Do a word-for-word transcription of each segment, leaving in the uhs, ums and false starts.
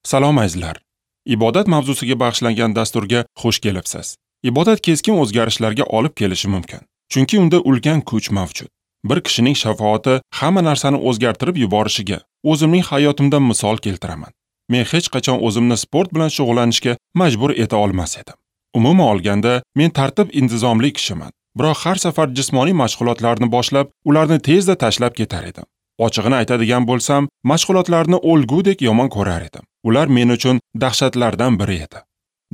Salom azizlar. Ibodat mavzusiga bag'ishlangan dasturga xush kelibsiz. Ibodat keskin o'zgarishlarga olib kelishi mumkin, chunki unda ulkan kuch mavjud. Bir kishining shafoati hamma narsani o'zgartirib yuborishiga o'zimning hayotimdan misol keltiraman. Men hech qachon o'zimni sport bilan shug'ullanishga majbur eta olmas edim. Umuman olganda, men tartib-intizomli kishiman. Biroq har safar jismoniy mashg'ulotlarni boshlab, ularni tezda tashlab ketar edim. Ochig'ini aytadigan bo'lsam, mashg'ulotlarni o'lgudek yomon ko'rar edim. Ular men uchun dahshatlardan biri edi.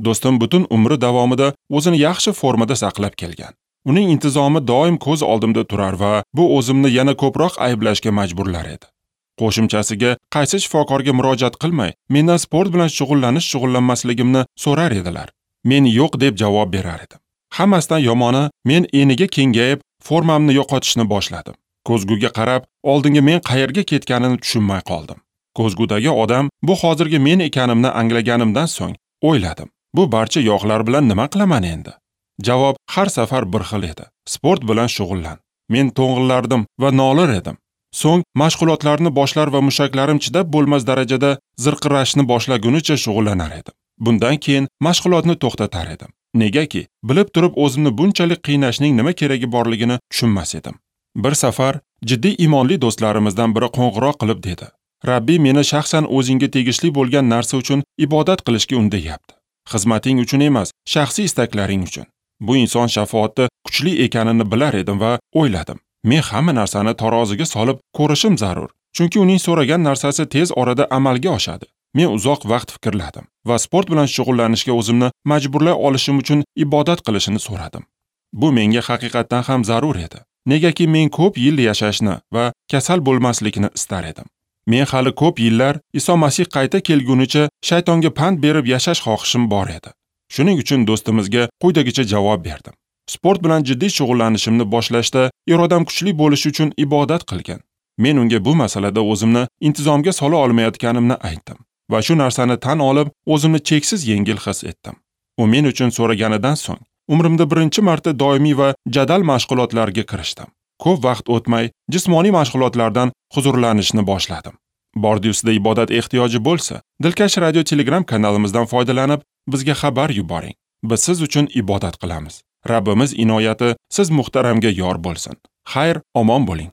Do'stim butun umri davomida o'zini yaxshi formada saqlab kelgan. Uning intizomi doim ko'z oldimda turar va bu o'zimni yana ko'proq ayblashga majburlar edi. Qo'shimchasiga, qaysi shifokorga murojaat qilmay, mendan sport bilan shug'ullanish shug'ullanmasligimni so'rar edilar. Men yo'q deb javob berar edim. Hammasidan yomoni, men eniga kengayib, formamni yo'qotishni boshladim. Ko'zguga qarab, oldinga men qayerga ketganini tushunmay qoldim. Ko'zgudagi odam bu hozirgi men ekanimni anglaganimdan so'ng o'yladim. Bu barcha yog'lar bilan nima qilaman endi? Javob har safar bir xil edi. Sport bilan shug'ullan. Men to'ng'illardim va nolir edim. So'ng mashg'ulotlarni boshlar va mushaklarim chidab bo'lmas darajada zirqirashni boshlagunicha shug'ullanar edim. Bundan keyin mashg'ulotni to'xtatar edim. Negaki, bilib turib o'zimni bunchalik qiynashning nima keragi borligini tushunmas edim. Bir safar jiddiy iymonli do'stlarimizdan biri qo'ng'iroq qilib dedi: "Rabbiy meni shaxsan o'zingga tegishli bo'lgan narsa uchun ibodat qilishga undayapti. Xizmating uchun emas, shaxsiy istaklaring uchun." Bu inson shafoati kuchli ekanini bilar edim va o'yladim. Men hamma narsani taroziga solib ko'rishim zarur, chunki uning so'ragan narsasi tez orada amalga oshadi. Men uzoq vaqt fikrladim va sport bilan shug'ullanishga o'zimni majburlay olishim uchun ibodat qilishini so'radim. Bu menga haqiqatdan ham zarur edi. Negaki men ko'p yil yashashni va kasal bo'lmaslikni istar edim. Men hali ko'p yillar Iso Masih qayta kelgunicha shaytonga pand berib yashash xohishim bor edi. Shuning uchun do'stimizga quyidagicha javob berdim. Sport bilan jiddiy shug'ullanishimni boshlashda irodam kuchli bo'lishi uchun ibodat qilgan. Men unga bu masalada o'zimni intizomga sola olmayotganimni aytdim va shu narsani tan olib, o'zimni cheksiz yengil his etdim. U men uchun so'raganidan so'ng umrimda birinchi marta doimiy va jadal mashg'ulotlarga kirishdim. Ko'p vaqt o'tmay jismoniy mashg'ulotlardan huzurlanishni boshladim. Bordi ustida ibodat ehtiyoji bo'lsa, Dilkash radio Telegram kanalimizdan foydalanib, bizga xabar yuboring. Biz siz uchun ibodat qilamiz. Rabbimiz inoyati siz muhtaramga yor bo'lsin. Xayr, omon bo'ling.